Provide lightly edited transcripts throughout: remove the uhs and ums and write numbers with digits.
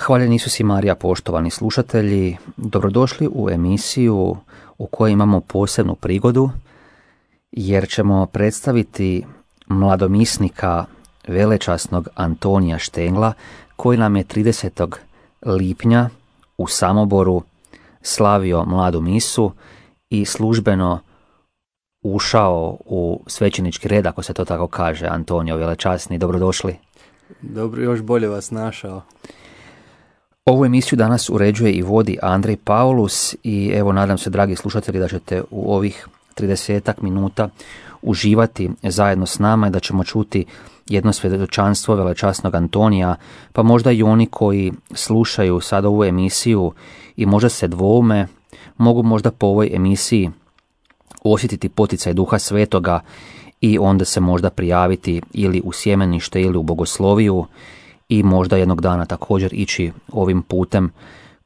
Hvaljen Isus i Marija, poštovani slušatelji, dobrodošli u emisiju u kojoj imamo posebnu prigodu, jer ćemo predstaviti mladomisnika velečasnog Antonija Štengla, koji nam je 30. lipnja u Samoboru slavio mladu misu i službeno ušao u svećenički red, ako se to tako kaže. Antonio, velečasni, dobrodošli. Dobro, još bolje vas našao. Ovu emisiju danas uređuje i vodi Andrej Paulus i evo, nadam se, dragi slušatelji, da ćete u ovih 30 minuta uživati zajedno s nama i da ćemo čuti jedno svjedočanstvo velečasnog Antonija, pa možda i oni koji slušaju sad ovu emisiju i možda se dvoume, mogu možda po ovoj emisiji osjetiti poticaj Duha Svetoga i onda se možda prijaviti ili u sjemenište ili u bogosloviju i možda jednog dana također ići ovim putem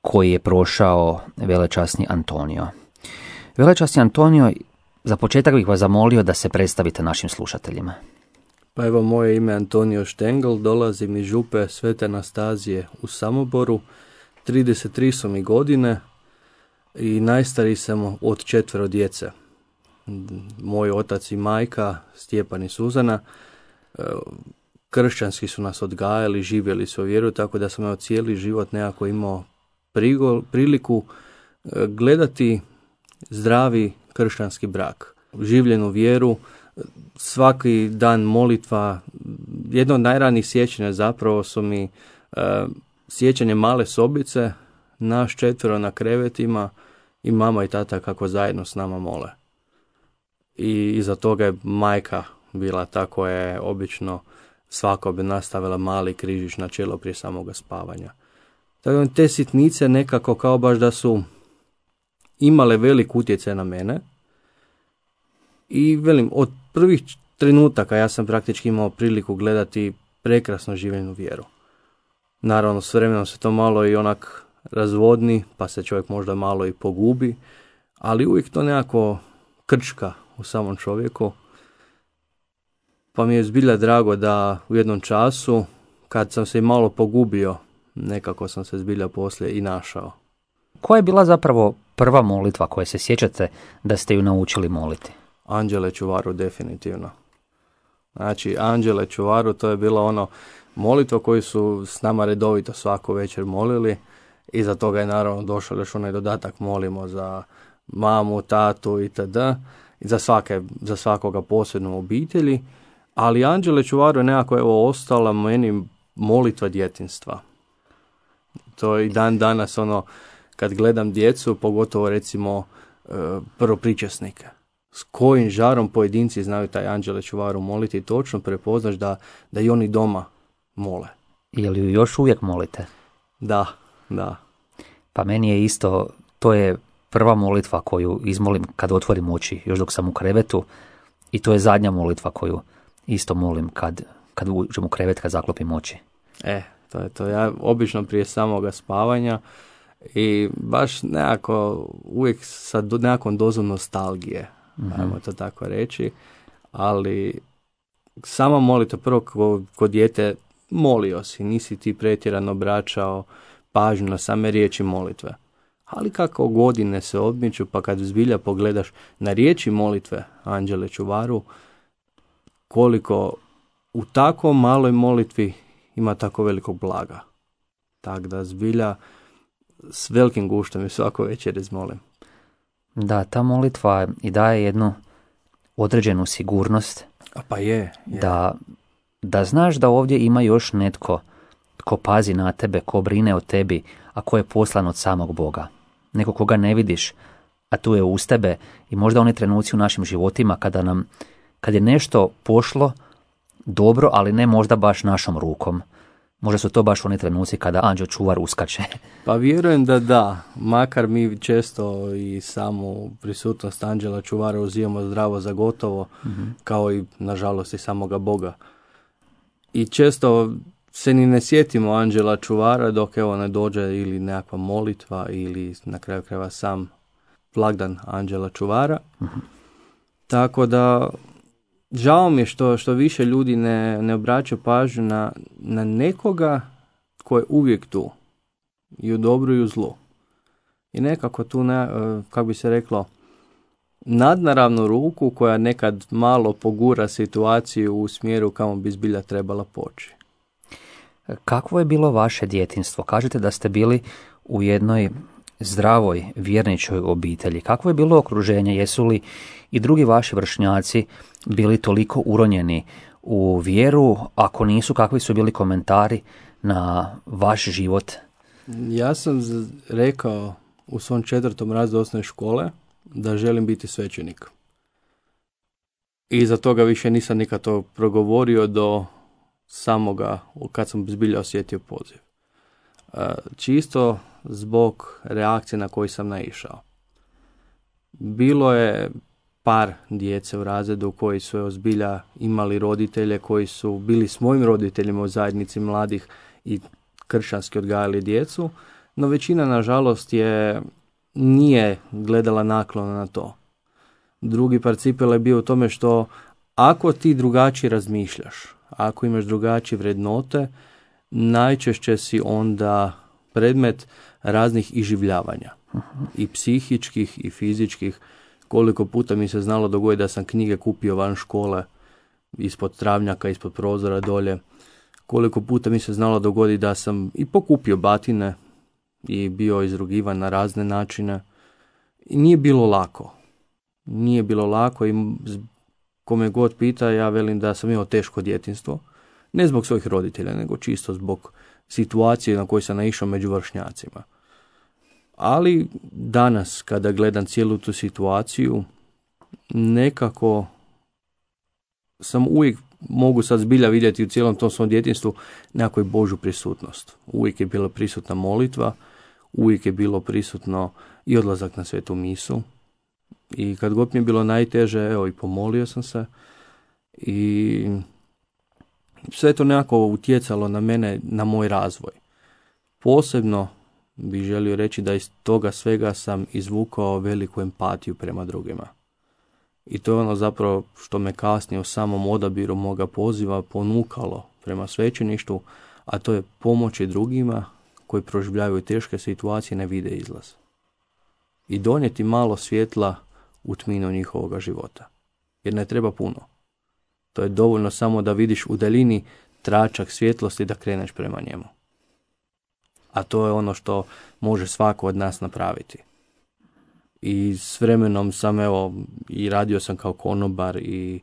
koji je prošao velečasni Antonio. Velečasni Antonio, za početak bih vas zamolio da se predstavite našim slušateljima. Pa evo, moje ime je Antonio Štengl, dolazim iz župe Svete Anastazije u Samoboru, 33 su mi godine i najstariji sam od 4 djece. Moj otac i majka, Stjepan i Suzana, kršćanski su nas odgajali, živjeli su vjeru, tako da sam cijeli život nekako imao priliku gledati zdravi kršćanski brak, življenu vjeru, svaki dan molitva. Jedno od najranijih sjećanja zapravo su mi sjećanje male sobice, naš 4 na krevetima i mama i tata kako zajedno s nama mole. I iza toga je majka bila ta koja je obično svako bi nastavila mali križić na čelo prije samoga spavanja. Tako te sitnice nekako kao baš da su imale velik utjecaj na mene. I velim, od prvih trenutaka ja sam praktički imao priliku gledati prekrasno življenu vjeru. Naravno, s vremenom se to malo i onak razvodni, pa se čovjek možda malo i pogubi, ali uvijek to nekako krčka u samom čovjeku. Pa mi je zbilja drago da u jednom času, kad sam se i malo pogubio, nekako sam se zbilja poslije i našao. Koja je bila zapravo prva molitva koje se sjećate da ste ju naučili moliti? Anđele čuvaru, definitivno. Znači, Anđele čuvaru, to je bilo ono molitva koju su s nama redovito svaku večer molili. Iza toga je naravno došao još onaj dodatak, molimo za mamu, tatu itd. I za svakoga posebno obitelji. Ali Anđele čuvaru je nekako ostala meni molitva djetinjstva. To je i dan danas ono, kad gledam djecu, pogotovo recimo prvopričasnike. S kojim žarom pojedinci znaju taj Anđele čuvaru moliti, točno prepoznaš da i oni doma mole. Je li ju još uvijek molite? Da. Pa meni je isto, to je prva molitva koju izmolim kad otvorim oči, još dok sam u krevetu, i to je zadnja molitva koju isto molim kad uđem u krevet, kad zaklopim oči. To je to. Ja obično prije samoga spavanja i baš nekako uvijek sa nekakvom dozom nostalgije, ajmo to tako reći, ali sama molitva, prvo kod dijete molio si, nisi ti pretjerano obraćao pažnju na same riječi molitve. Ali kako godine se odmiču, pa kad zbilja pogledaš na riječi molitve Anđele čuvaru, koliko u tako maloj molitvi ima tako velikog blaga. Tako da zbilja s velikim guštom i svako večer izmolim. Da, ta molitva i daje jednu određenu sigurnost. Pa je. Da znaš da ovdje ima još netko ko pazi na tebe, ko brine o tebi, a ko je poslan od samog Boga. Neko koga ne vidiš, a tu je uz tebe. I možda oni trenuci u našim životima kad je nešto pošlo dobro, ali ne možda baš našom rukom. Možda su to baš oni trenuci kada anđeo čuvar uskače. Pa vjerujem da, makar mi često i samu prisutnost anđela čuvara uzimamo zdravo za gotovo, kao i nažalost i samoga Boga. I često se ni ne sjetimo anđela čuvara dok evo ne dođe ili nekakva molitva ili na kraju krajeva sam blagdan anđela čuvara. Tako da žao mi je što više ljudi ne obraćaju pažnju na nekoga ko je uvijek tu. I u dobru i u zlu. I nekako tu, kako bi se reklo, nadnaravnu ruku koja nekad malo pogura situaciju u smjeru kamo bi zbilja trebala poći. Kakvo je bilo vaše djetinjstvo? Kažete da ste bili u jednoj zdravoj vjerničkoj obitelji. Kakvo je bilo okruženje? Jesu li i drugi vaši vršnjaci bili toliko uronjeni u vjeru? Ako nisu, kakvi su bili komentari na vaš život? Ja sam rekao u svom 4. razredu osnovne škole da želim biti svećenik. I za toga više nisam nikad to progovorio do samoga, kad sam zbilja osjetio poziv. Čisto zbog reakcije na koju sam naišao. Bilo je par djece u razredu koji su zbilja imali roditelje koji su bili s mojim roditeljima u zajednici mladih i kršćanski odgajali djecu, no većina nažalost nije gledala naklono na to. Drugi parcipel je bio u tome što ako ti drugačije razmišljaš, ako imaš drugačije vrednote, najčešće si onda predmet raznih iživljavanja. I psihičkih i fizičkih. Koliko puta mi se znalo dogoditi da sam knjige kupio van škole, ispod travnjaka, ispod prozora dolje. Koliko puta mi se znalo dogoditi da sam i pokupio batine i bio izrugivan na razne načine. I nije bilo lako. Nije bilo lako i kome god pita, ja velim da sam imao teško djetinjstvo. Ne zbog svojih roditelja, nego čisto zbog situacije na koju sam naišao među vršnjacima. Ali danas, kada gledam cijelu tu situaciju, nekako sam uvijek, mogu sad zbilja vidjeti u cijelom tom svom djetinjstvu nekakvu Božju prisutnost. Uvijek je bila prisutna molitva, uvijek je bilo prisutno i odlazak na svetu misu. I kad god mi je bilo najteže, evo i pomolio sam se. I sve to nekako utjecalo na mene, na moj razvoj. Posebno bih želio reći da iz toga svega sam izvukao veliku empatiju prema drugima. I to je ono zapravo što me kasnije u samom odabiru moga poziva ponukalo prema svećeništvu, a to je pomoći drugima koji proživljavaju teške situacije, ne vide izlaz. I donijeti malo svjetla u tminu njihovoga života. Jer ne treba puno. To je dovoljno samo da vidiš u daljini tračak svjetlosti da kreneš prema njemu. A to je ono što može svako od nas napraviti. I s vremenom sam i radio sam kao konobar i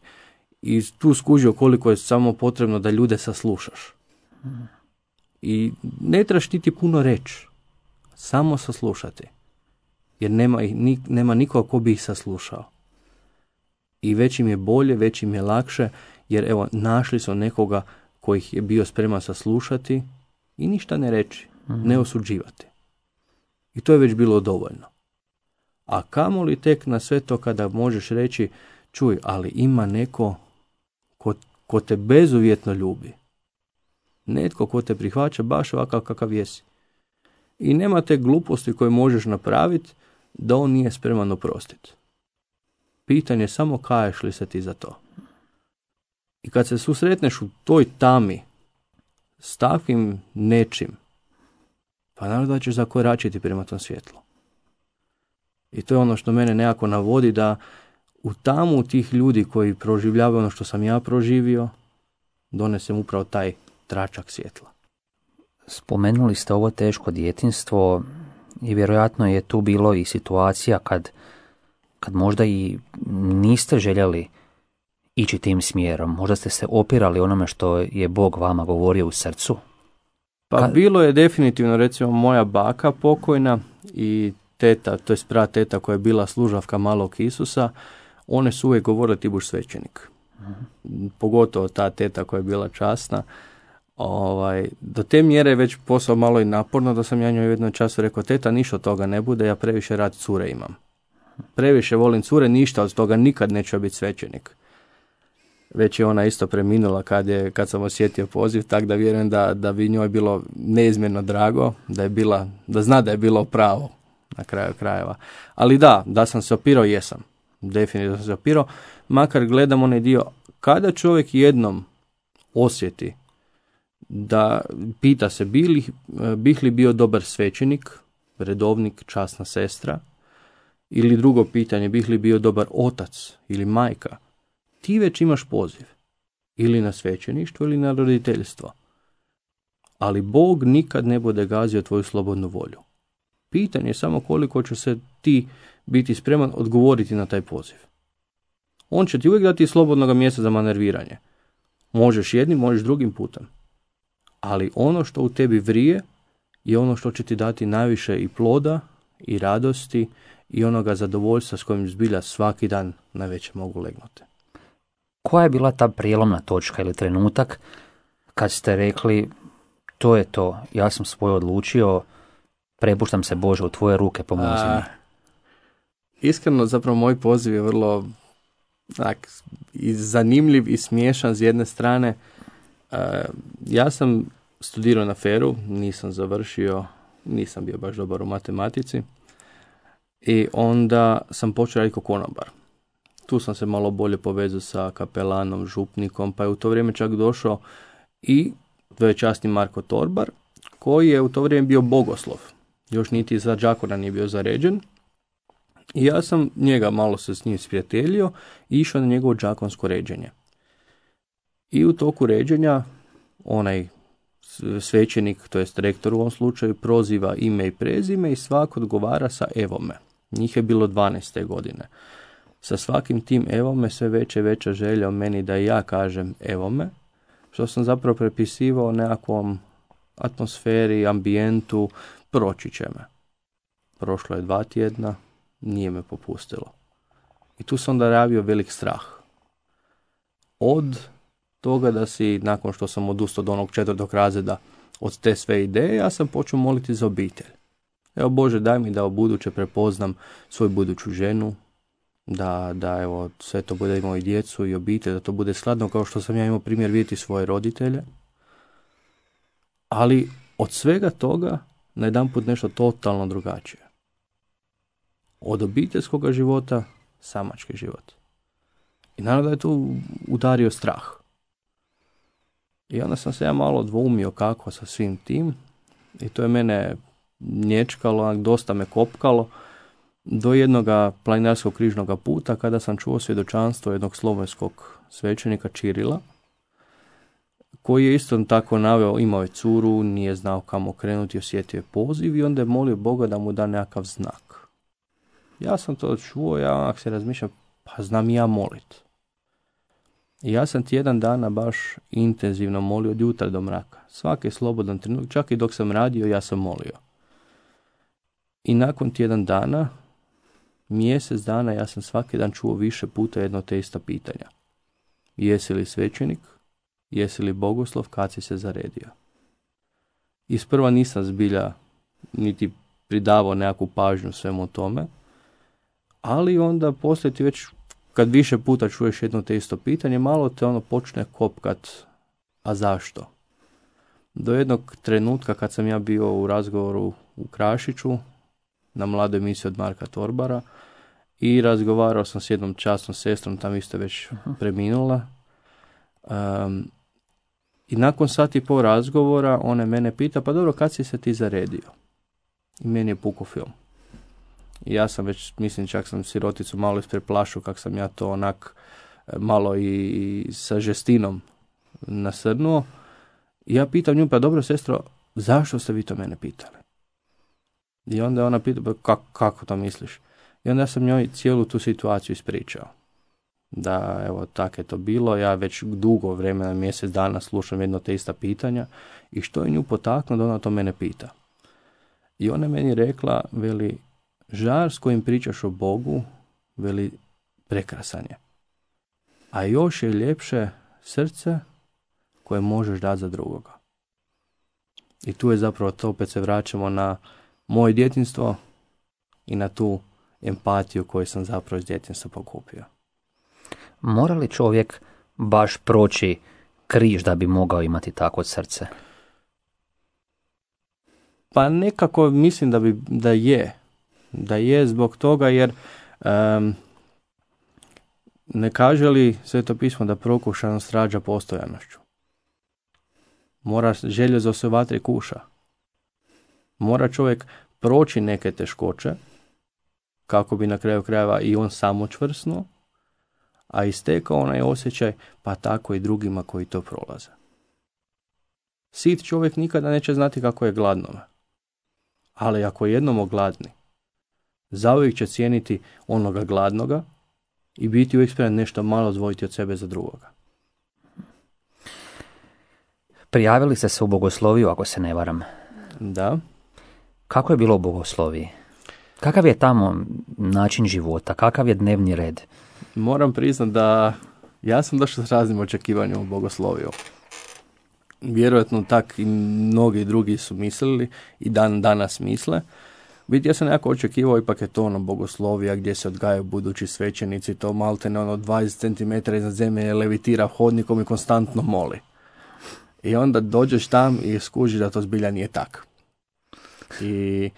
tu skužio koliko je samo potrebno da ljude saslušaš. I ne trebaš ti puno reći, samo saslušati. Jer nema nikoga ko bi ih saslušao. I već im je bolje, već im je lakše, jer našli su nekoga koji ih je bio spreman saslušati i ništa ne reći, ne osuđivati. I to je već bilo dovoljno. A kamoli tek na sve to kada možeš reći, čuj, ali ima neko ko te bezuvjetno ljubi. Netko ko te prihvaća baš ovakav kakav jesi. I nema te gluposti koje možeš napraviti da on nije spreman oprostiti. Pitanje je samo kaješ li se ti za to. I kad se susretneš u toj tami s takvim nečim, pa naravno da ćeš zakoračiti prema tom svjetlu. I to je ono što mene nekako navodi da u tamu tih ljudi koji proživljavaju ono što sam ja proživio, donesem upravo taj tračak svjetla. Spomenuli ste ovo teško djetinjstvo i vjerojatno je tu bilo i situacija kad možda i niste željeli ići tim smjerom. Možda ste se opirali onome što je Bog vama govorio u srcu. Pa bilo je definitivno, recimo, moja baka pokojna i teta, to je teta koja je bila služavka malog Isusa, one su uvijek govorile ti buš svećenik. Pogotovo ta teta koja je bila časna. Do te mjere je već posao malo i naporno da sam ja njoj u jednom času rekao, teta, ništa od toga ne bude, ja previše rad cure imam. Previše volim cure, ništa od toga, nikad neću biti svećenik. Već je ona isto preminula kad sam osjetio poziv, tako da vjerujem da bi njoj bilo neizmjerno drago, da zna da je bilo pravo na kraju krajeva. Ali da sam se opirao, jesam. Definitivno sam se opirao, makar gledam onaj dio, kada čovjek jednom osjeti da pita se bih li bio dobar svećenik, redovnik, časna sestra, ili drugo pitanje, bih li bio dobar otac ili majka, ti već imaš poziv. Ili na svećeništvo ili na roditeljstvo. Ali Bog nikad ne bude gazio tvoju slobodnu volju. Pitanje je samo koliko će se ti biti spreman odgovoriti na taj poziv. On će ti uvijek dati slobodnog mjesta za manerviranje. Možeš jednim, možeš drugim putem. Ali ono što u tebi vrije je ono što će ti dati najviše i ploda i radosti i onoga zadovoljstva s kojim zbilja svaki dan najveće mogu legnuti. Koja je bila ta prijelomna točka ili trenutak kad ste rekli to je to, ja sam svoje odlučio, prepuštam se Bože u tvoje ruke, pomozi mi? Iskreno, zapravo moj poziv je vrlo i zanimljiv i smiješan s jedne strane. Ja sam studirao na FER-u, nisam završio, nisam bio baš dobar u matematici i onda sam počeo raditi kao konobar. Tu sam se malo bolje povezao sa kapelanom, župnikom, pa je u to vrijeme čak došao i dvoječasni Marko Torbar, koji je u to vrijeme bio bogoslov. Još niti za đakona nije bio zaređen. I ja sam njega malo se s njim sprijateljio i išao na njegovo đakonsko ređenje. I u toku ređenja onaj svećenik, to jest rektor u ovom slučaju, proziva ime i prezime i svak odgovara sa evo me. Njih je bilo 12. godine. Sa svakim tim evo me sve veća želja o meni da i ja kažem evo me, što sam zapravo prepisivao nekakvom atmosferi, ambijentu, proći će me. Prošlo je 2 tjedna, nije me popustilo. I tu sam onda javio velik strah. Od toga da si, nakon što sam odustao od onog 4. razreda, od te sve ideje, ja sam počeo moliti za obitelj. Evo Bože, daj mi da u buduće prepoznam svoju buduću ženu, da evo sve to bude imao i djecu i obitelj, da to bude skladno kao što sam ja imao primjer vidjeti svoje roditelje. Ali od svega toga najedanput nešto totalno drugačije. Od obiteljskog života, samački život. I naravno da je tu udario strah. I onda sam se ja malo dvoumio kako sa svim tim. I to je mene nječkalo, dosta me kopkalo. Do jednoga planinarskog križnog puta kada sam čuo svjedočanstvo jednog slovenskog svećenika Čirila, koji je isto tako naveo, imao je curu, nije znao kamo krenuti, osjetio je poziv i onda je molio Boga da mu da nekakav znak. Ja sam to čuo, ja onak se razmišljam, pa znam i ja molit. I ja sam tjedan dana baš intenzivno molio od jutra do mraka. Svaki slobodan trenutak, čak i dok sam radio, ja sam molio. I nakon tjedan dana, mjesec dana, ja sam svaki dan čuo više puta jedno te ista pitanja. Jesi li svećenik? Jesi li bogoslov? Kad si se zaredio? Isprva nisam zbilja niti pridavao nekakvu pažnju svemu tome, ali onda poslije ti već, kad više puta čuješ jedno te isto pitanje, malo te ono počne kopkat, a zašto? Do jednog trenutka kad sam ja bio u razgovoru u Krašiću, na mladoj emisiji od Marka Torbara, i razgovarao sam s jednom časnom sestrom, tam isto već preminula. I nakon 1.5 razgovora ona mene pita, pa dobro, kad si se ti zaredio? I meni je pukao film. I ja sam već, mislim, čak sam siroticu malo ispreplašio kak sam ja to onak malo i sa žestinom nasrnuo. I ja pitam nju, pa dobro sestro, zašto ste vi to mene pitali? I onda ona pita, pa kako to misliš? I onda sam njoj cijelu tu situaciju ispričao. Da, evo, tako je to bilo, ja već dugo vremena, mjesec dana slušam jedno te ista pitanja i što je nju potaknulo da ona to mene pita. I ona meni rekla, veli, žar s kojim pričaš o Bogu, veli, prekrasan je. a još je ljepše srce koje možeš dati za drugoga. I tu je zapravo to, opet se vraćamo na moje djetinjstvo i na tu empatiju koju sam zapravo iz djetinjstva pokupio. Mora li čovjek baš proći križ da bi mogao imati takvo srce? Pa nekako mislim da je zbog toga jer ne kaže li Sveto pismo da prokušanost rađa postojanošću. Mora željezo se u vatri kuša. Mora čovjek proći neke teškoće kako bi na kraju krajeva i on samo čvrsnuo, a istekao onaj osjećaj, pa tako i drugima koji to prolaze. Sit čovjek nikada neće znati kako je gladnome. Ali ako jednom ogladni, zauvijek će cijeniti onoga gladnoga i biti uvijek spreman nešto malo odvojiti od sebe za drugoga. Prijavili ste se u bogosloviju, ako se ne varam. Da. Kako je bilo u bogosloviji? Kakav je tamo način života? Kakav je dnevni red? Moram priznati da ja sam došao s raznim očekivanjem u bogosloviju. Vjerojatno tak i mnogi drugi su mislili i danas misle. Ja sam nekako očekivao, ipak je to ono bogoslovija gdje se odgajaju budući svećenici, to maltene 20 cm iznad zemlje levitira hodnikom i konstantno moli. I onda dođeš tam i skužiš da to zbilja nije tako. I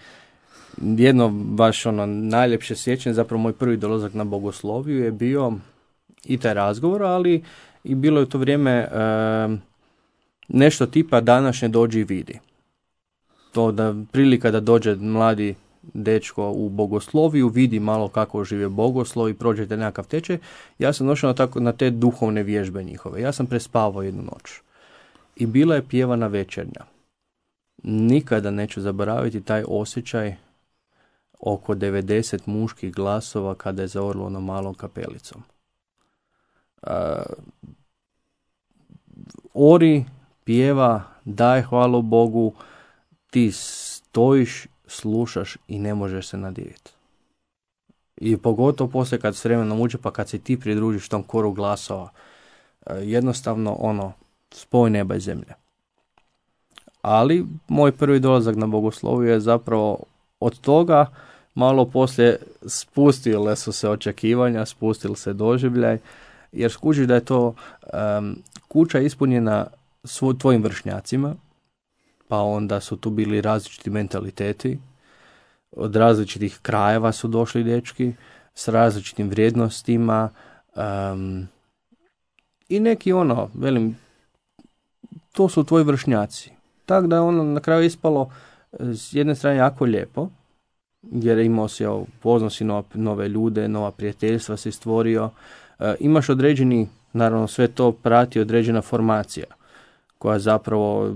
jedno baš najljepše sjećanje, zapravo moj prvi dolazak na bogosloviju je bio i taj razgovor, ali i bilo je u to vrijeme nešto tipa današnje dođi i vidi. To da prilika da dođe mladi dečko u bogosloviju, vidi malo kako žive bogoslov i prođete nekakav tečaj. Ja sam došao na te duhovne vježbe njihove. Ja sam prespavao jednu noć. I bila je pjevana večernja. Nikada neću zaboraviti taj osjećaj oko 90 muških glasova kada je zaorilo onom malom kapelicom. Ori, pjeva, daj hvalu Bogu, ti stojiš, slušaš i ne možeš se nadiviti. I pogotovo poslije kad s vremenom uđe, pa kad se ti pridružiš tom koru glasova, jednostavno spoj neba i zemlje. Ali moj prvi dolazak na bogosloviju je zapravo od toga malo poslije spustile su se očekivanja, spustili se doživljaj, jer skužiš da je to kuća ispunjena tvojim vršnjacima, pa onda su tu bili različiti mentaliteti, od različitih krajeva su došli dečki, s različitim vrijednostima, i neki to su tvoji vršnjaci. Tako da je na kraju ispalo s jedne strane jako lijepo, jer imao si, upoznao si nove ljude, nova prijateljstva si stvorio, imaš određeni, naravno sve to prati određena formacija, koja zapravo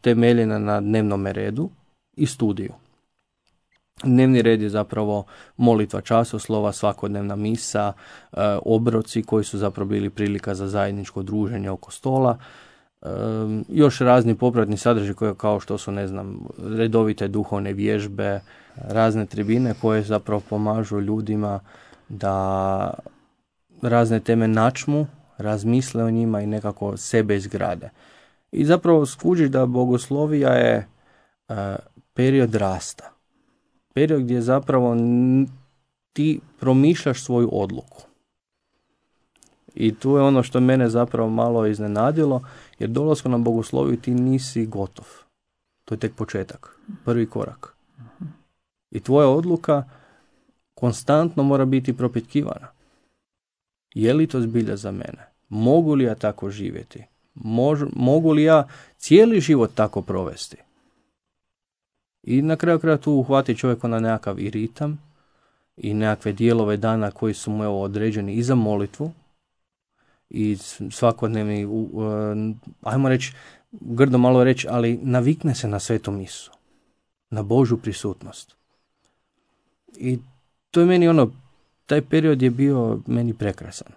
temeljena na dnevnom redu i studiju. Dnevni red je zapravo molitva časoslova, svakodnevna misa, obroci koji su zapravo bili prilika za zajedničko druženje oko stola, još razni popratni sadržaji koje kao što su, redovite duhovne vježbe, razne tribine koje zapravo pomažu ljudima da razne teme načmu, razmisle o njima i nekako sebe izgrade. I zapravo skužiš da bogoslovija je period rasta. Period gdje zapravo ti promišljaš svoju odluku. I tu je ono što mene zapravo malo iznenadilo, jer dolaskom na bogosloviju ti nisi gotov. To je tek početak, prvi korak. I tvoja odluka konstantno mora biti propitkivana. Je li to zbilja za mene? Mogu li ja tako živjeti? Mogu li ja cijeli život tako provesti? I na kraju kraja tu uhvati čovjek na nekakav i ritam i nekakve dijelove dana koji su mu određeni i za molitvu i svakodnevni, ajmo reći, grdo malo reći, ali navikne se na svetu misu, na Božju prisutnost. I to je meni taj period je bio meni prekrasan.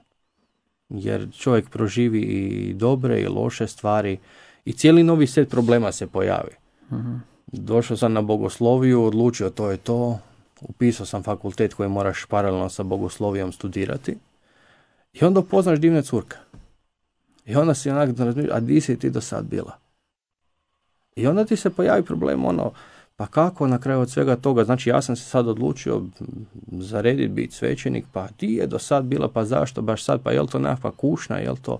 Jer čovjek proživi i dobre i loše stvari i cijeli novi set problema se pojavi. Uh-huh. Došao sam na bogosloviju, odlučio to je to, upisao sam fakultet koji moraš paralelno sa bogoslovijom studirati I onda upoznaš divne curke. I onda si onak razmišljaš, a di si ti do sad bila? I onda ti se pojavi problem, pa kako na kraju od svega toga, znači ja sam se sad odlučio zarediti biti svećenik, pa ti je do sad bila, pa zašto baš sad, pa je li to nekakva kušnja, je li to...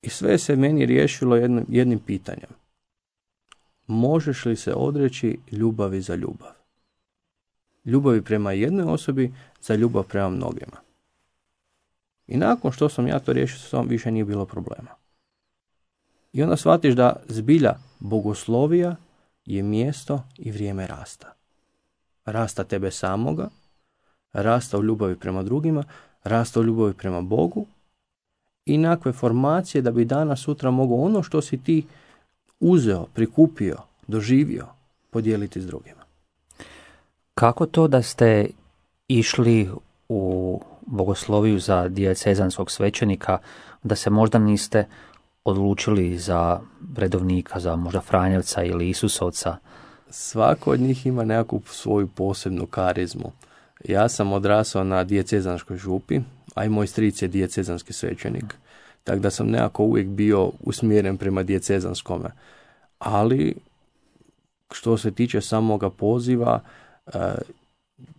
I sve se meni riješilo jednim pitanjem. Možeš li se odreći ljubavi za ljubav? Ljubavi prema jednoj osobi za ljubav prema mnogima. I nakon što sam ja to riješio, s tom više nije bilo problema. I onda shvatiš da zbilja bogoslovija je mjesto i vrijeme rasta. Rasta tebe samoga, rasta u ljubavi prema drugima, rasta u ljubavi prema Bogu i nakve formacije da bi danas sutra mogao ono što si ti uzeo, prikupio, doživio, podijeliti s drugima. Kako to da ste išli u bogosloviju za dijecezanskog svećenika, da se možda niste odlučili za redovnika, za možda Franjevca ili Isusovca? Svako od njih ima nekakvu svoju posebnu karizmu. Ja sam odrasao na dijecezanskoj župi, a i moj stric je dijecezanski svećenik. Tako da sam nekako uvijek bio usmjeren prema dijecezanskome. Ali, što se tiče samoga poziva,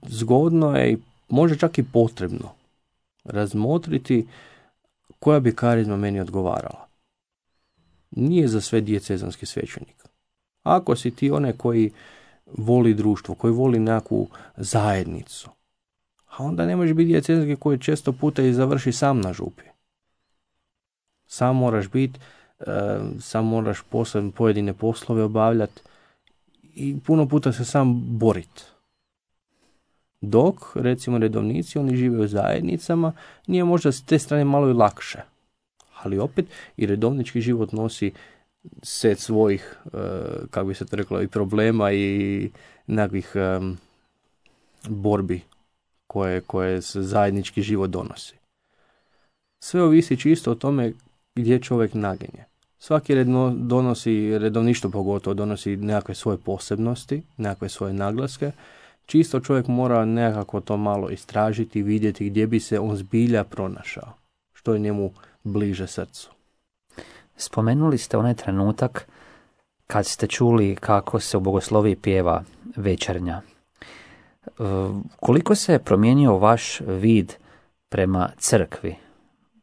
zgodno je i možda čak i potrebno razmotriti koja bi karizma meni odgovarala. Nije za sve dijecezanski svećenik. Ako si ti onaj koji voli društvo, koji voli nekakvu zajednicu, a onda ne možeš biti dijecezanski koji često puta i završi sam na župi. Sam moraš biti, sam moraš pojedine poslove obavljati i puno puta se sam boriti. Dok, recimo, redovnici, oni žive u zajednicama, nije možda s te strane malo i lakše. Ali opet i redovnički život nosi set svojih, kako bi se to reklo, i problema i nekakvih borbi koje se zajednički život donosi. Sve ovisi čisto o tome gdje čovjek naginje. Svaki redovništvo pogotovo donosi nekakve svoje posebnosti, nekakve svoje naglaske. Čisto čovjek mora nekako to malo istražiti i vidjeti gdje bi se on zbilja pronašao. Što je njemu bliže srcu. Spomenuli ste onaj trenutak kad ste čuli kako se u bogosloviji pjeva večernja. Koliko se je promijenio vaš vid prema crkvi?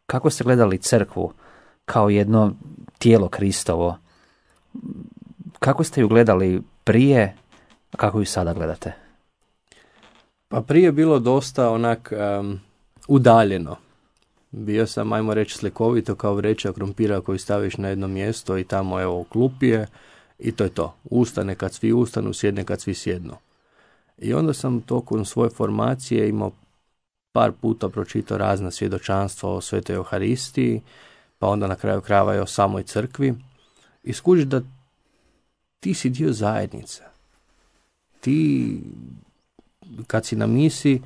Kako ste gledali crkvu kao jedno tijelo Kristovo? Kako ste ju gledali prije, a kako ju sada gledate? Pa prije je bilo dosta onak udaljeno. Bio sam, ajmo reći, slikovito kao vreća krumpira koju staviš na jedno mjesto i tamo evo klupije i to je to. Ustane kad svi ustanu, sjedne kad svi sjednu. I onda sam tokom svoje formacije imao par puta pročitao razna svjedočanstva o Svetoj Euharistiji, pa onda na kraju krajeva i o samoj crkvi. I skužiš da ti si dio zajednice. Ti, kad si na misi,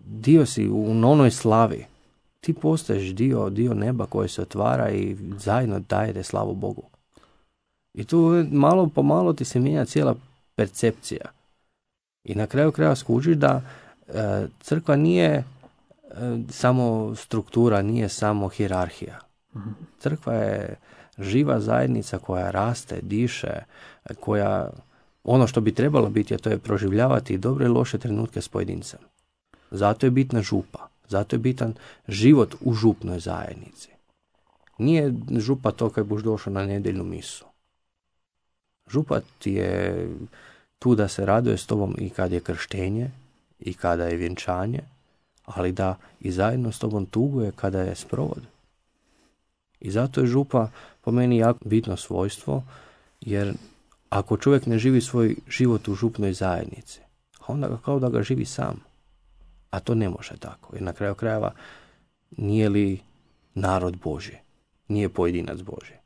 dio si u onoj slavi. Ti postaješ dio neba koje se otvara i zajedno dajete slavu Bogu. I tu malo po malo ti se mijenja cijela percepcija. I na kraju krajeva skužiš da crkva nije samo struktura, nije samo hijerarhija. Crkva je živa zajednica koja raste, diše, koja ono što bi trebalo biti, a to je proživljavati dobre i loše trenutke s pojedincem. Zato je bitna župa. Zato je bitan život u župnoj zajednici. Nije župa to kad buš došao na nedjeljnu misu. Župa ti je tu da se raduje s tobom i kad je krštenje i kada je vjenčanje, ali da i zajedno s tobom tuguje kada je sprovod. I zato je župa po meni jako bitno svojstvo, jer ako čovjek ne živi svoj život u župnoj zajednici, onda ga kao da ga živi sam. A to ne može tako, jer na kraju krajeva nije li narod Božji, nije pojedinac Božji.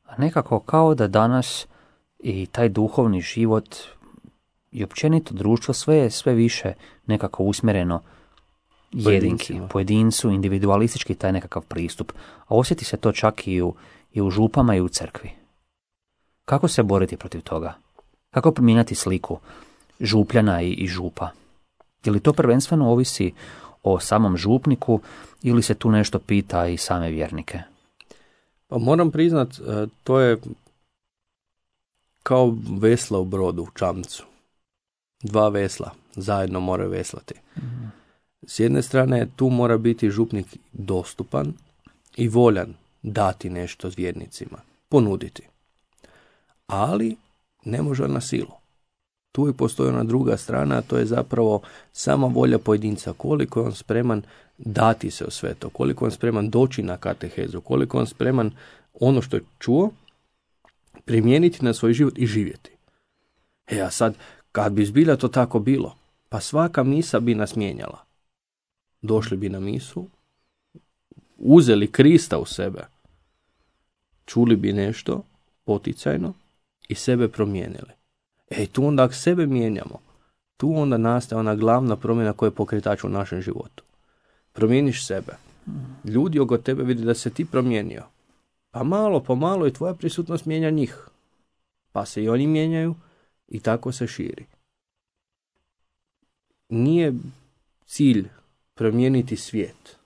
A nekako kao da danas i taj duhovni život i općenito društvo sve više nekako usmjereno jedinki, pojedincu, individualistički taj nekakav pristup. A osjeti se to čak i u župama i u crkvi. Kako se boriti protiv toga? Kako promijeniti sliku župljana i župa? Je li to prvenstveno ovisi o samom župniku ili se tu nešto pita i same vjernike? Pa moram priznat, to je kao vesla u brodu, u čamcu. 2 vesla zajedno moraju veslati. S jedne strane, tu mora biti župnik dostupan i voljan dati nešto vjernicima, ponuditi. Ali ne može na silu. Tu i postoji ona druga strana, a to je zapravo sama volja pojedinca, koliko je on spreman dati se u sve to, koliko je on spreman doći na katehezu, koliko je on spreman ono što je čuo primijeniti na svoj život i živjeti. A sad, kad bi zbilja to tako bilo, pa svaka misa bi nas mijenjala. Došli bi na misu, uzeli Krista u sebe, čuli bi nešto poticajno i sebe promijenili. Tu onda ako sebe mijenjamo, tu onda nastaje ona glavna promjena koja je pokretač u našem životu. Promijeniš sebe. Ljudi oko tebe vidi da se ti promijenio. Pa malo po malo i tvoja prisutnost mijenja njih. Pa se i oni mijenjaju i tako se širi. Nije cilj promijeniti svijet.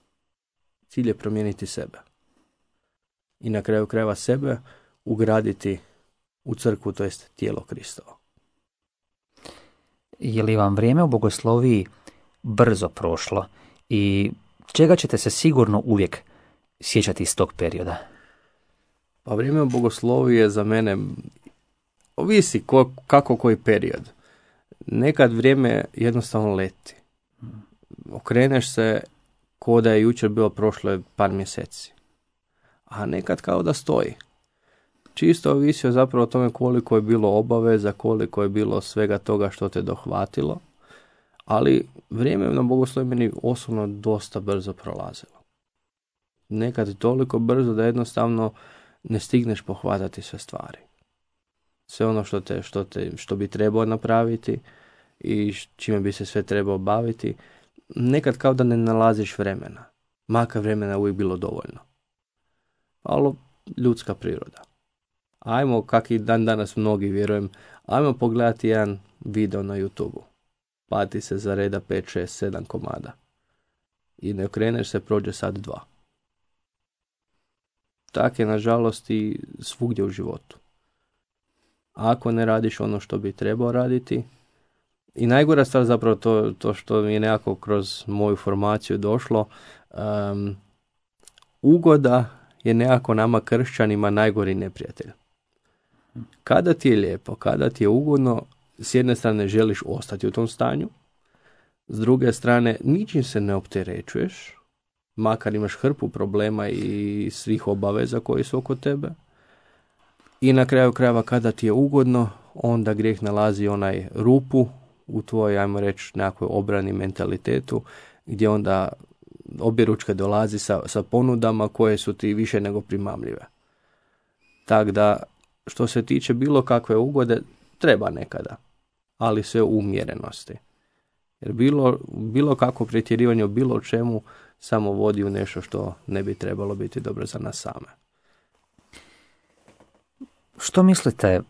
Cilj je promijeniti sebe. I na kraju krajeva sebe ugraditi u crkvu, to jest tijelo Kristovo. Je li vam vrijeme u bogosloviji brzo prošlo i čega ćete se sigurno uvijek sjećati iz tog perioda? Pa vrijeme u bogosloviji je za mene, ovisi kako koji period. Nekad vrijeme jednostavno leti. Okreneš se ko da je jučer bilo prošlo par mjeseci. A nekad kao da stoji. Čisto ovisi zapravo o tome koliko je bilo obaveza, koliko je bilo svega toga što te dohvatilo. Ali vrijeme na bogosloviji meni osobno dosta brzo prolazilo. Nekad toliko brzo da jednostavno ne stigneš pohvatati sve stvari. Sve ono što bi trebao napraviti i čime bi se sve trebao baviti, nekad kao da ne nalaziš vremena. Makar vremena uvijek bilo dovoljno. Ali ljudska priroda. Ajmo, kak i dan danas mnogi vjerujem, ajmo pogledati jedan video na YouTube-u. Pa ti se zareda 5, 6, 7 komada. I ne okreneš se, prođe sad 2. Tak je nažalost i svugdje u životu. Ako ne radiš ono što bi trebao raditi, i najgora stvar zapravo to što mi je nekako kroz moju formaciju došlo, ugoda je nekako nama kršćanima najgori neprijatelj. Kada ti je lijepo, kada ti je ugodno, s jedne strane želiš ostati u tom stanju, s druge strane ničim se ne opterećuješ, makar imaš hrpu problema i svih obaveza koji su oko tebe. I na kraju krajeva kada ti je ugodno, onda grijeh nalazi onaj rupu u tvojoj, ajmo reći, nekakvoj obrani mentalitetu, gdje onda objeručke dolazi sa ponudama koje su ti više nego primamljive. Tako da, što se tiče bilo kakve ugode, treba nekada, ali sve u umjerenosti. Jer bilo kakvo pretjerivanje u bilo čemu samo vodi u nešto što ne bi trebalo biti dobro za nas same. Što mislite,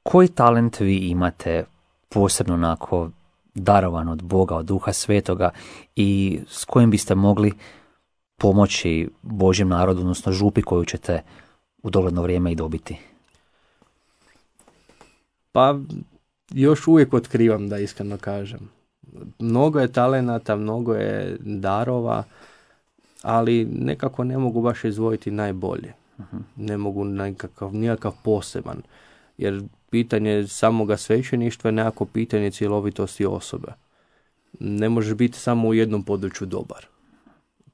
koji talent vi imate posebno onako darovan od Boga, od Duha Svetoga i s kojim biste mogli pomoći Božjem narodu, odnosno župi koju ćete u dogledno vrijeme i dobiti? Pa još uvijek otkrivam, da iskreno kažem. Mnogo je talenata, mnogo je darova, ali nekako ne mogu baš izdvojiti najbolje. Ne mogu nikakav poseban. Jer pitanje samoga svećeništva je nekako pitanje cjelovitosti osobe. Ne možeš biti samo u jednom području dobar.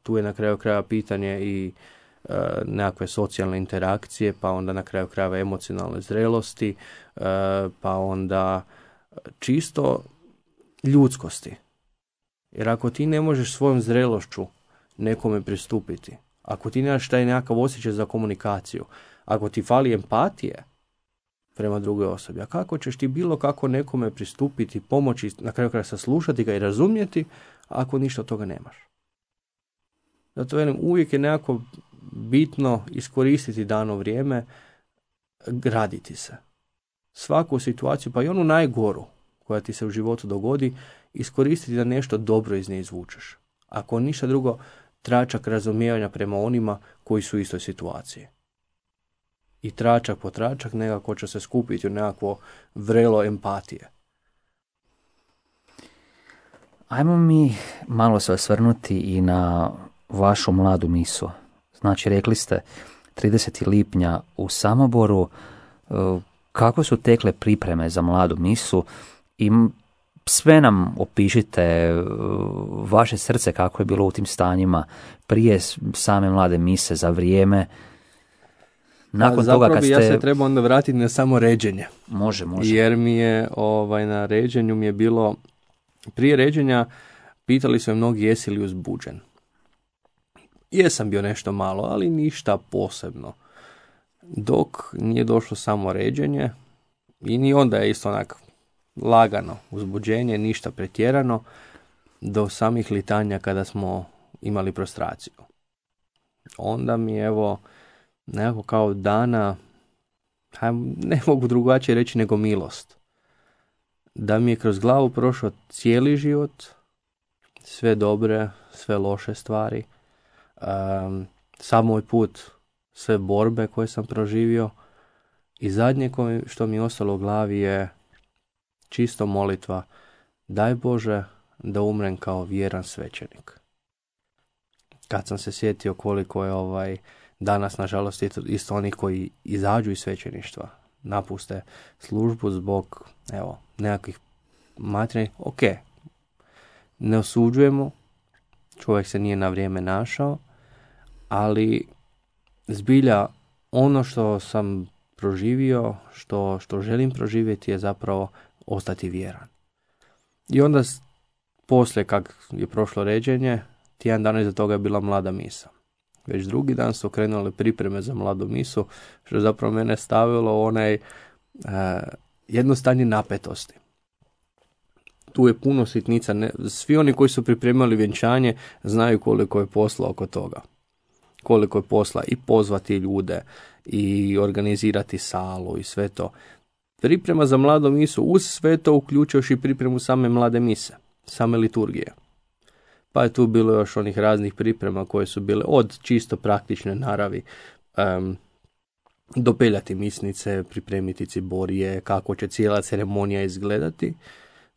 Tu je na kraju krajeva pitanje i nekakve socijalne interakcije, pa onda na kraju krajeva emocionalne zrelosti, pa onda čisto ljudskosti. Jer ako ti ne možeš svojom zrelošću nekome pristupiti, ako ti nemaš taj nekakav osjećaj za komunikaciju, ako ti fali empatije prema drugoj osobi, a kako ćeš ti bilo kako nekome pristupiti, pomoći, na kraju krajeva saslušati ga i razumjeti, ako ništa od toga nemaš. Zato velim, uvijek je nekako bitno iskoristiti dano vrijeme, graditi se. Svaku situaciju, pa i onu najgoru koja ti se u životu dogodi, iskoristiti da nešto dobro iz nje izvučeš. Ako ništa drugo, tračak razumijevanja prema onima koji su u istoj situaciji. I tračak po tračak nekako će se skupiti u nekakvo vrelo empatije. Ajmo mi malo se osvrnuti i na vašu mladu misu. Znači, rekli ste 30. lipnja u Samoboru. Kako su tekle pripreme za mladu misu i sve nam opišite, vaše srce kako je bilo u tim stanjima prije same mlade mise, za vrijeme. Nakon toga kad ste... Ja se treba onda vratiti na samo ređenje. Može. Jer mi je na ređenju mi je bilo, prije ređenja pitali su me mnogi jesi li uzbuđen. Jesam bio nešto malo, ali ništa posebno. Dok nije došlo samo ređenje i ni onda je isto onak lagano uzbuđenje, ništa pretjerano, do samih litanja kada smo imali prostraciju. Onda mi evo nekako kao dana, ne mogu drugačije reći nego milost. Da mi je kroz glavu prošao cijeli život, sve dobre, sve loše stvari, sam moj put, sve borbe koje sam proživio i zadnje što mi je ostalo u glavi je čisto molitva, daj Bože da umrem kao vjeran svećenik. Kad sam se sjetio koliko je danas, nažalost, isto oni koji izađu iz svećeništva, napuste službu zbog nekakvih materijalnih, ok, ne osuđujemo, čovjek se nije na vrijeme našao, ali zbilja ono što sam proživio, što želim proživjeti je zapravo ostati vjeran. I onda poslije kak je prošlo ređenje, tjedan dana iza toga je bila mlada misa. Već drugi dan su krenule pripreme za mladu misu, što je zapravo mene stavilo onaj jedno stanje napetosti. Tu je puno sitnica. Svi oni koji su pripremali vjenčanje znaju koliko je posla oko toga. Koliko je posla i pozvati ljude i organizirati salu i sve to. Priprema za mladu misu uz sve to uključujući i pripremu same mlade mise, same liturgije. Pa je tu bilo još onih raznih priprema koje su bile od čisto praktične naravi, dopeljati misnice, pripremiti ciborije, kako će cijela ceremonija izgledati,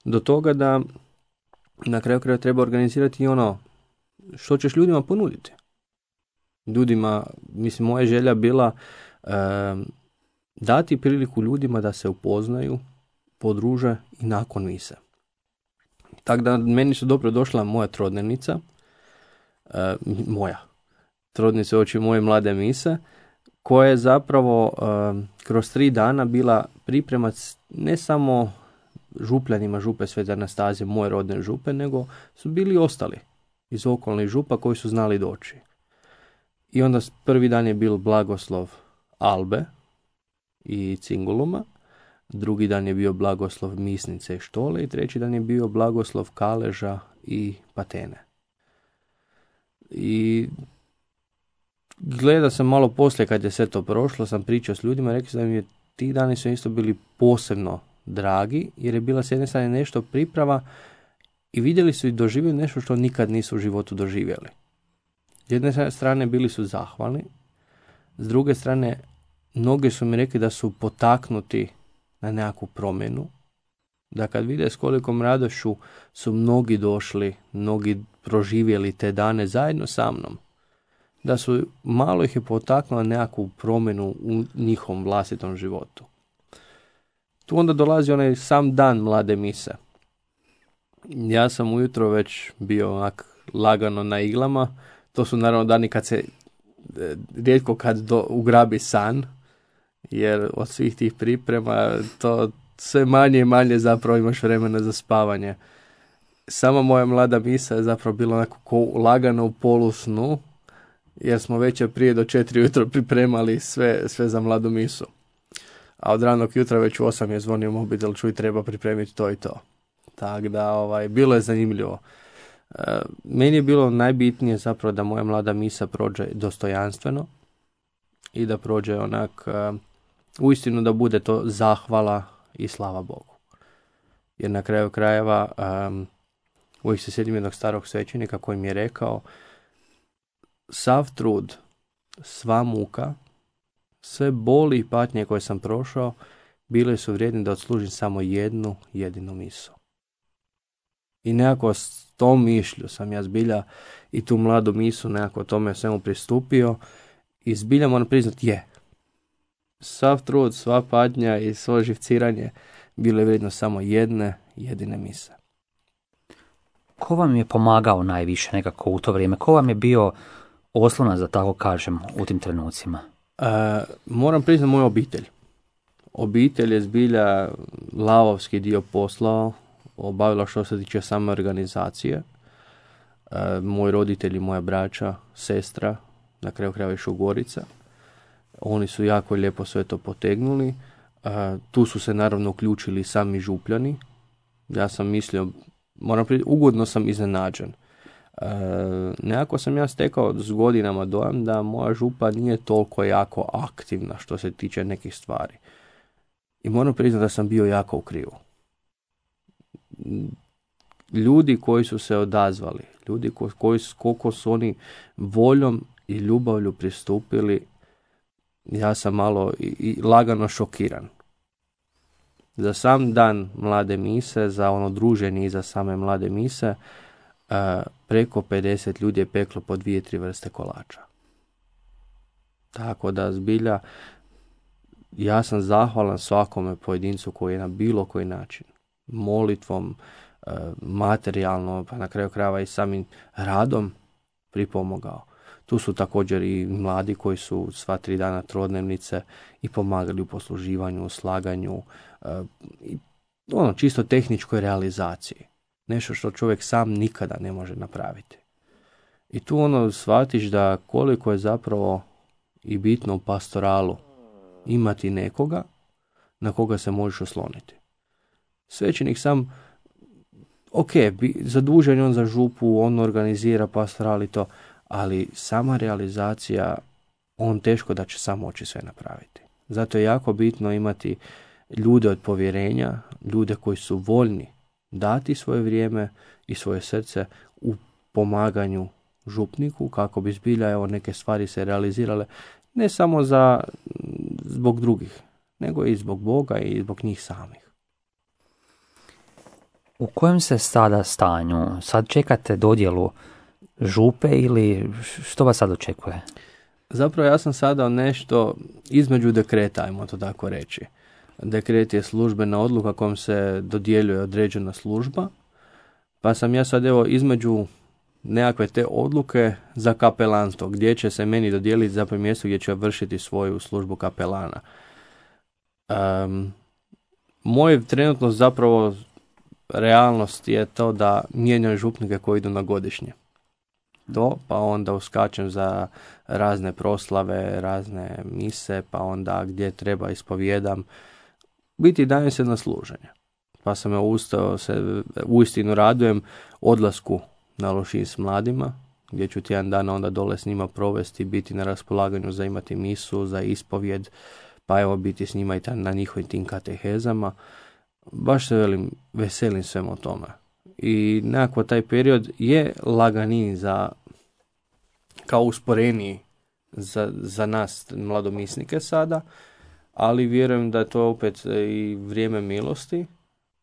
do toga da na kraju kraja treba organizirati i ono što ćeš ljudima ponuditi. Ljudima, mislim, moja želja bila dati priliku ljudima da se upoznaju, podruže i nakon mise. Tako da meni su dobro došla moja trodnevnica, trodnica oči moje mlade mise, koja je zapravo kroz 3 dana bila pripremac ne samo župljanima župe Svete Anastazije, moje rodne župe, nego su bili ostali iz okolnih župa koji su znali doći. I onda prvi dan je bil blagoslov Albe i Cinguluma, drugi dan je bio blagoslov Misnice i Štole i treći dan je bio blagoslov Kaleža i Patene. I gleda sam malo poslije kad je sve to prošlo, sam pričao s ljudima, rekli da mi je ti dani su isto bili posebno dragi, jer je bila s jedne strane nešto priprava i vidjeli su i doživjeli nešto što nikad nisu u životu doživjeli. S jedne strane bili su zahvalni, s druge strane mnogi su mi rekli da su potaknuti na nekakvu promjenu, da kad vide s kolikom radošću su mnogi došli, mnogi proživjeli te dane zajedno sa mnom, da su malo ih je potaknula nekakvu promjenu u njihovom vlastitom životu. Tu onda dolazi onaj sam dan mlade mise. Ja sam ujutro već bio onak lagano na iglama. To su naravno dani kad se rijetko kad ugrabi san, jer od svih tih priprema to sve manje i manje zapravo imaš vremena za spavanje. Sama moja mlada misa je zapravo bila onako lagano u polusnu, jer smo već prije do 4 ujutro pripremali sve za mladu misu. A od ranog jutra već u 8 je zvonio mobitel, čuj, treba pripremiti to i to. Tako da bilo je zanimljivo. Meni je bilo najbitnije zapravo da moja mlada misa prođe dostojanstveno i da prođe onak uistinu da bude to zahvala i slava Bogu. Jer na kraju krajeva Uvijek se sjedim jednog starog svećenika koji mi je rekao: sav trud, sva muka, sve boli i patnje koje sam prošao, bile su vrijedne da odslužim samo jednu jedinu misu. I nekako s tom mišlju sam ja zbilja i tu mladu misu nekako tome svemu pristupio i zbilja moram priznati sav trud, sva patnja i svo živciranje bilo je vrijedno samo jedne jedine mise. Ko vam je pomagao najviše nekako u to vrijeme? Ko vam je bio oslonac, da tako kažem, u tim trenucima? Moram priznati moju obitelj. Obitelj je zbilja lavovski dio posla obavila što se tiče same organizacije. Moji roditelji, moja braća, sestra, na kraju krajeva i Šugorica. Oni su jako lijepo sve to potegnuli. Tu su se naravno uključili sami župljani. Ja sam mislio, moram priznati, ugodno sam iznenađen. Nekako sam ja stekao s godinama dojam da moja župa nije toliko jako aktivna što se tiče nekih stvari. I moram priznati da sam bio jako u krivu. Ljudi koji su se odazvali, ljudi koliko su oni voljom i ljubavlju pristupili, ja sam malo i lagano šokiran. Za sam dan mlade mise, za ono druženje iza same mlade mise, preko 50 ljudi je peklo po 2-3 vrste kolača. Tako da zbilja ja sam zahvalan svakome pojedincu koji je na bilo koji način, molitvom, materijalno, pa na kraju krajeva i samim radom pripomogao. Tu su također i mladi koji su sva 3 dana trodnevnice i pomagali u posluživanju, u slaganju, i čisto tehničkoj realizaciji. Nešto što čovjek sam nikada ne može napraviti. I tu shvatiš da koliko je zapravo i bitno u pastoralu imati nekoga na koga se možeš osloniti. Svećenik sam, zadužen je on za župu, on organizira pastoral i to, ali sama realizacija, on teško da će sam moći sve napraviti. Zato je jako bitno imati ljude od povjerenja, ljude koji su voljni dati svoje vrijeme i svoje srce u pomaganju župniku kako bi zbilja neke stvari se realizirale ne samo zbog drugih, nego i zbog Boga i zbog njih samih. U kojem se sada stanju? Sad čekate dodjelu župe ili što vas sad očekuje? Zapravo ja sam sada nešto između dekreta, ajmo to tako reći. Dekret je službena odluka kojom se dodjeljuje određena služba, pa sam ja sad između nekakve te odluke za kapelanstvo, gdje će se meni dodijeliti zapravo mjesto gdje će vršiti svoju službu kapelana. Moj trenutno zapravo realnost je to da mijenjam župnike koji idu na godišnje. Pa onda uskačem za razne proslave, razne mise, pa onda gdje treba ispovijedam. Biti dajem se na služenje. Pa sam uistinu radujem odlasku na Lošinj s mladima, gdje ću tjedan dana onda dole s njima provesti, biti na raspolaganju za imati misu, za ispovjed, pa biti s njima i na njihovim tim katehezama. Baš se veselim svemu tome. I nekako taj period je laganiji kao usporeniji za nas mladomisnike sada, ali vjerujem da je to opet i vrijeme milosti,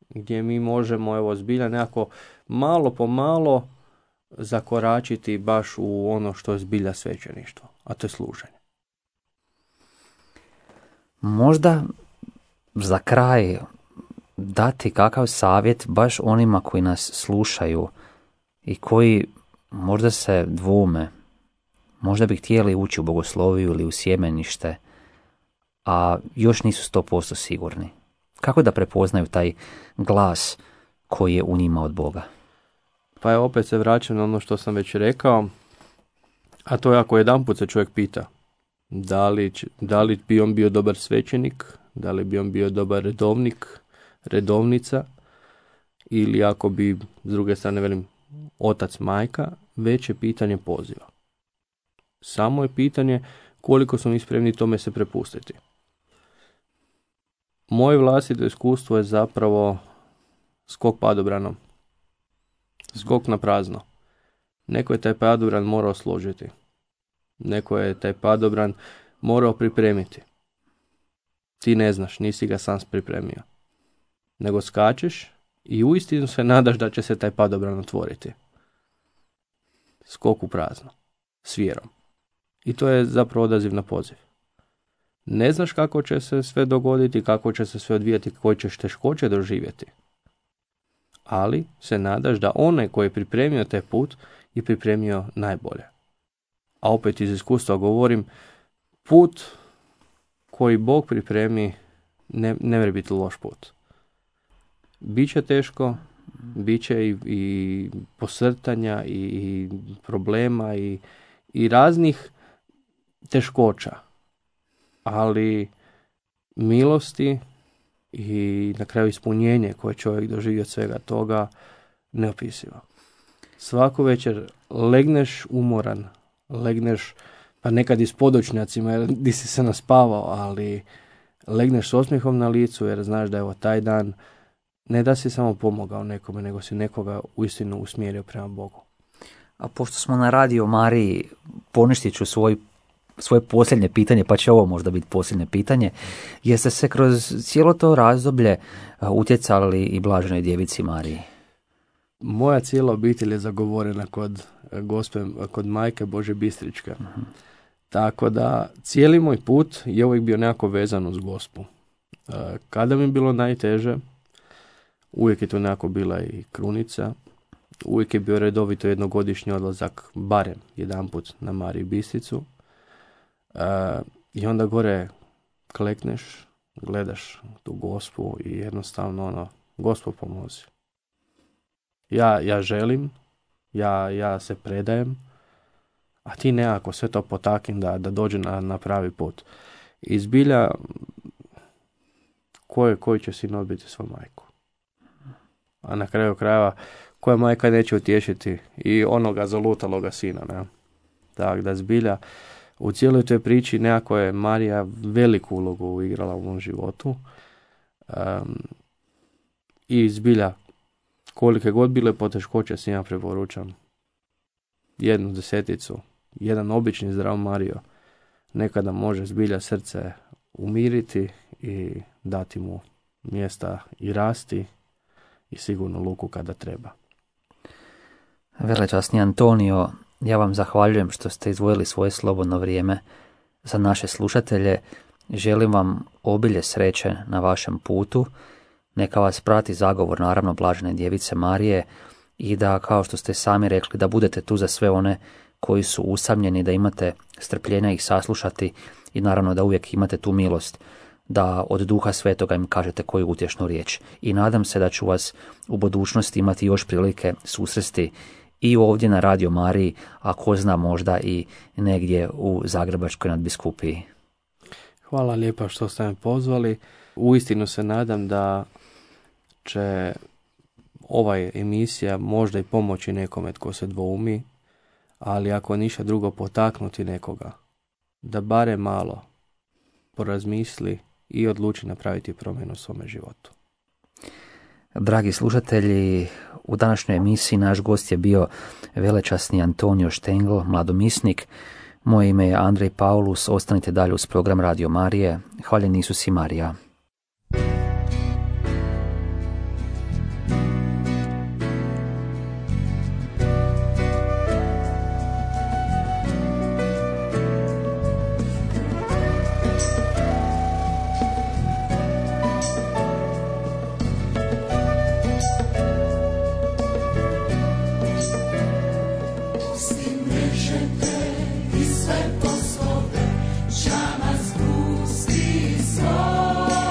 gdje mi možemo zbilja nekako malo po malo zakoračiti baš u ono što je zbilja svećeništvo, a to je služenje. Možda za kraj dati kakav savjet baš onima koji nas slušaju i koji možda se dvoume, možda bi htjeli ući u bogosloviju ili u sjemenište, a još nisu 100% sigurni. Kako da prepoznaju taj glas koji je u njima od Boga? Pa opet se vraćam na ono što sam već rekao, a to je ako jedanput se čovjek pita da li bi on bio dobar svećenik, da li bi on bio dobar redovnik, redovnica, ili ako bi, s druge strane otac, majka, već je pitanje poziva. Samo je pitanje koliko smo mi spremni tome se prepustiti. Moje vlastito iskustvo je zapravo skok padobranom. skok na prazno. Neko je taj padobran morao složiti. Neko je taj padobran morao pripremiti. Ti ne znaš, nisi ga sam pripremio. Nego skačeš i uistinu se nadaš da će se taj padobran otvoriti. Skok u prazno. S vjerom. I to je zapravo odaziv na poziv. Ne znaš kako će se sve dogoditi, kako će se sve odvijati, koje ćeš teškoće doživjeti. Ali se nadaš da onaj koji je pripremio taj put je pripremio najbolje. A opet iz iskustva govorim, put koji Bog pripremi ne mora biti loš put. Biće teško, biće i posrtanja i problema i raznih teškoća. Ali milosti i na kraju ispunjenje koje čovjek doživi od svega toga neopisivo. Svaku večer legneš umoran, legneš pa nekad i s podočnjacima jer di si se naspavao, ali legneš s osmijehom na licu jer znaš da je taj dan ne da si samo pomogao nekome, nego si nekoga uistinu usmjerio prema Bogu. A pošto smo na Radio Mariji, poništit ću svoje posljednje pitanje, pa će ovo možda biti posljednje pitanje. Jeste se kroz cijelo to razdoblje utjecali i Blaženoj djevici Mariji? Moja cijela obitelj je zagovorena kod Majke Bože Bistričke. Uh-huh. Tako da cijeli moj put je uvijek bio nekako vezan uz Gospu. Kada mi je bilo najteže, uvijek je to nekako bila i krunica. Uvijek je bio redovito jednogodišnji odlazak, barem jedanput na Mariju Bistricu. I onda gore klekneš, gledaš tu Gospu i jednostavno Gospo pomozi. Ja želim, ja se predajem, a ti nekako sve to potaknem da dođe na pravi put. I zbilja, koji će sin odbiti svoju majku? A na kraju krajeva, koja majka neće utješiti i onoga zalutaloga sina, ne? Tako da zbilja, u cijeloj toj priči nekako je Marija veliku ulogu igrala u mom životu. I zbilja, kolike god bile poteškoće si ja preporučam 1/10, jedan obični zdrav Mario nekada može zbilja srce umiriti i dati mu mjesta i rasti i sigurno luku kada treba. Velečasni Antonio, ja vam zahvaljujem što ste izdvojili svoje slobodno vrijeme za naše slušatelje. Želim vam obilje sreće na vašem putu. Neka vas prati zagovor, naravno, Blažene djevice Marije i da, kao što ste sami rekli, da budete tu za sve one koji su usamljeni, da imate strpljenja ih saslušati i naravno da uvijek imate tu milost da od Duha Svetoga im kažete koju utješnu riječ. I nadam se da ću vas u budućnosti imati još prilike susresti i ovdje na Radio Mariji, a ko zna možda i negdje u Zagrebačkoj nadbiskupiji. Hvala lijepa što ste me pozvali. Uistinu se nadam da će ova emisija možda i pomoći nekome tko se dvoumi, ali ako ništa drugo potaknuti nekoga da bare malo porazmisli i odluči napraviti promjenu u svome životu. Dragi slušatelji, u današnjoj emisiji naš gost je bio velečasni Antonio Štengl, mladomisnik. Moje ime je Andrej Paulus, ostanite dalje uz program Radio Marije. Hvaljen Isus i Marija. Sve poslove, čama zgusti svoj.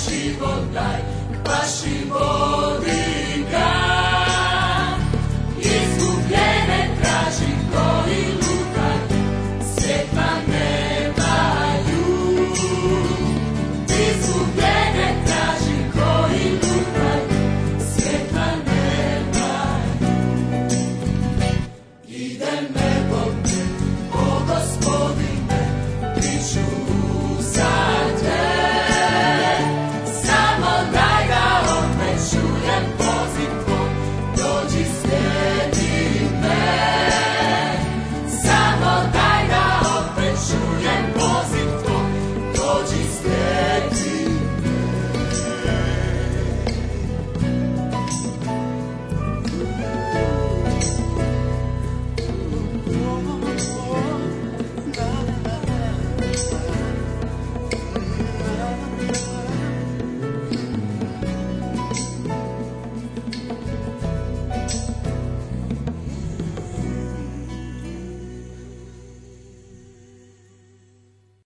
život daj, paši vodi